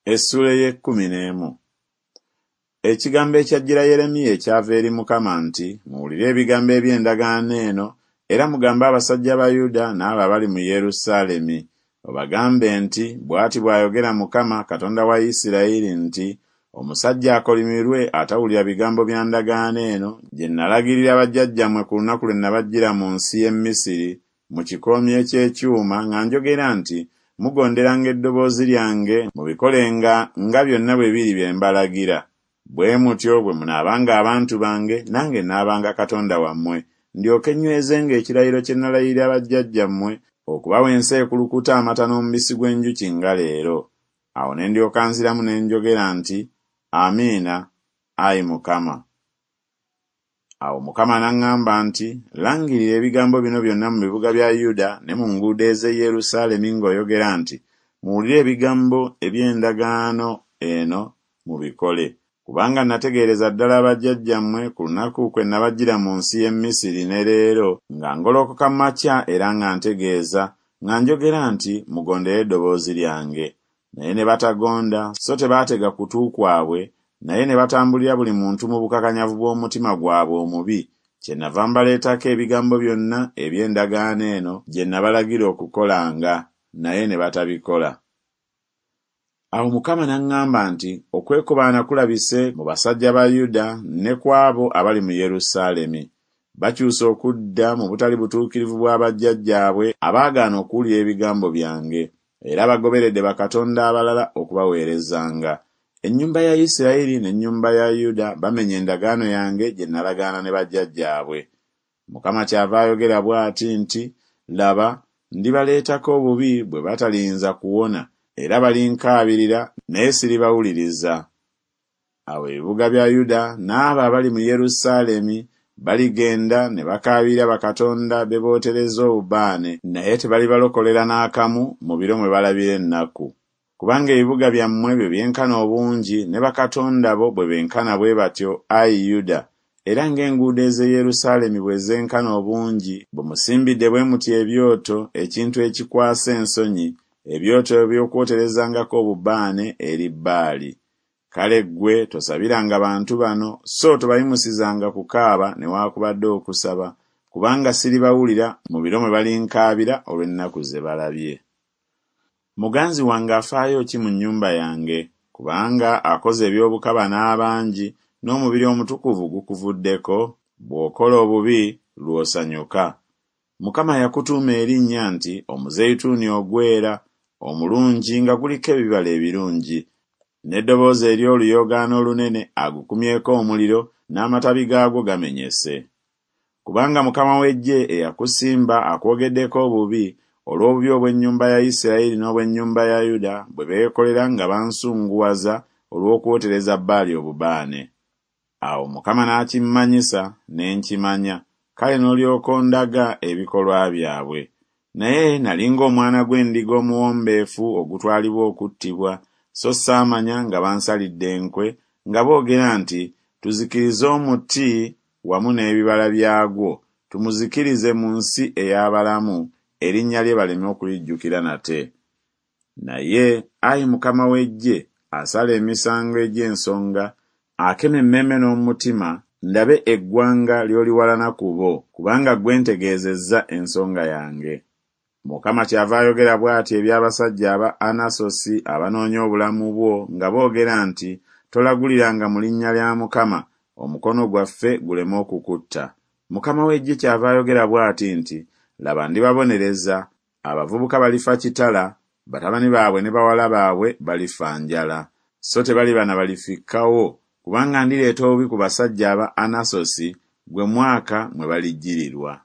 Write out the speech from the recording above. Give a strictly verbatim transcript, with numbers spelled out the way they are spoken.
Essuula ey'ekkumi n'emu. Ekigambo ekyajjira Yeremiya ekyava eri Mukama nti, Muwulire ebigambo eby'endagaano eno, era mugambe abasajja ba Yuda n'abo abali mu Yerusaalemi, obagambe nti, Bw'ati bw'ayogera Mukama, Katonda wa Isirayiri nti, Omusajja akolimirwe atawulira bigambo bya ndagaano eno gye nalagirira bajjajjammwe ku lunaku lwe nabaggyira mu nsi y'e Misiri mu kikoomi eky'ekyuma nga njogera nti, Mugonderanga eddoboozi lyange mubikolenga nga byonna bwe biri bye mbalagira. Bwe mutyo bwe munaabanga abantu bange, nange naabanga Katonda wammwe, ndyoke nnywezenga ekirayiro kye nalayirira bajjajjammwe okubawa ensi ekulukuta amata n'omubisi gw'enjuki nga leero. Awo ne ndyoka nziramu ne njogera nti, Amiina, ayi Mukama. Awo Mukama n'aŋŋamba nti, Langirira ebigambo bino byonna mu bibuga bya Yuda ne mu nguudo ez'e Yerusaalemi ng'oyogera nti, Muwulire ebigambo eby'endagaano eno mubikole. Kubanga nategeereza ddala bajjajjammwe ku lunaku kwe nabaggyira mu nsi y'e Misiri ne leero, nga ngolokoka makya era nga ntegeeza, nga njogera nti, Mugondere eddoboozi lyange. Naye ne batagonda, so tebaatega kutu kwabwe, naye ne batambulira buli muntu mu bukakanyavu bw'omutima gwabwe omubi, kyennava mbaleetako ebigambo byonna eby'endagaano eno gye nabalagira okukolanga, naye ne batabikola. Awo Mukama n'aŋŋamba nti, Okwekobaana kulabise mu basajja ba Yuda ne ku abo abali mu Yerusaalemi. Bakyuse okudda mu butali butuukirivu bwa bajjajjaabwe abaagaana okuwulira ebigambo byange, era bagoberedde bakatonda abalala okubaweerezanga. Ennyumba ya Isirayiri n'ennyumba ya Yuda bamenye endagaano yange gye nalagaana ne bajjajjaabwe. Mukama kyava ayogera bw'ati nti, Laba, ndibaleetako obubi bwe bataliyinza kuwona, era balinkaabirira, naye siribawuliriza. Awo ebibuga bya Yuda n'abo abali mu Yerusaalemi baligenda ne bakaabirira bakatonda be bootereza obubaane, naye tebalibalokolera n'akamu mu biro mwe balabira ennaku. Kubanga ebibuga byammwe bwe byenkana obungi ne bakatonda bo bwe benkana bwe batyo, ayi Yuda, era ng'enguudo ez'e Yerusaalemi bwe zenkana obungi, bwe musimbidde bwe mutyo ebyoto, ekintu ekikwasa ensonyi, ebyoto eby'okwoterezangako obubaane eri Baali. Kale ggwe tosabiranga bantu bano, so tobayimusizanga kukaaba newaakubadde okusaba, kubanga siribawulira mu biro mwe balinkaabira olw'ennaku ze balabye. Muganzi wange afaayo ki mu nnyumba yange? Kubanga akoze eby'obukaba n'abangi, n'omubiri omutukuvu gukuvuddeko. Bw'okola obubi, lw'osanyuka. Mukama yakutuuma erinnya nti Omuzeyituuni ogwera, omulungi nga guliko ebibala ebirungi. N'eddoboozi ery'oluyoogaano olunene agukumyeko omuliro, n'amatabi gaagwo gamenyese. Kubanga Mukama w'eggye eyakusimba akwogeddeko obubi olw'obubi obw'ennyumba ya Isirayiri n'obw'ennyumba ya Yuda bwe beekolera nga bansunguwaza olw'okwotereza Baali obubaane. Awo Mukama n'akimmanyisa, ne nkimanya, kale n'olyoka ondaga ebikolwa byabwe. Naye nali ng'omwana gw'endiga omuwombeefu ogutwalibwa okuttibwa, so saamanya nga bansalidde enkwe, nga boogera nti, Tuzikirize omuti wamu n'ebibala byagwo, tumuzikirize mu nsi ey'abalamu, erinnya lye baleme okulijjukira nate. Naye, ayi Mukama w'eggye, asala emisango egy'ensonga, akema emmeeme n'omutima, ndabe eggwanga ly'oliwalana ku bo, kubanga ggwe ntegeezezza ensonga yange. Mukama kyava ayogera bw'ati eby'abasajja aba Anasosi abanoonya obulamu bwo nga boogera nti, Tolaguliranga mu linnya lya Mukama, omukono gwaffe guleme okukutta. Mukama w'eggye kyava ayogera bw'ati nti, Laba ndibabonereza, abavubuka balifa kitala, batabani baabwe ne bawala baabwe balifa njala. So tebaliba na balifikkawo, kubanga ndireeta obubi ku basajja aba Anasosi, gwe mwaka mwe balijjirirwa.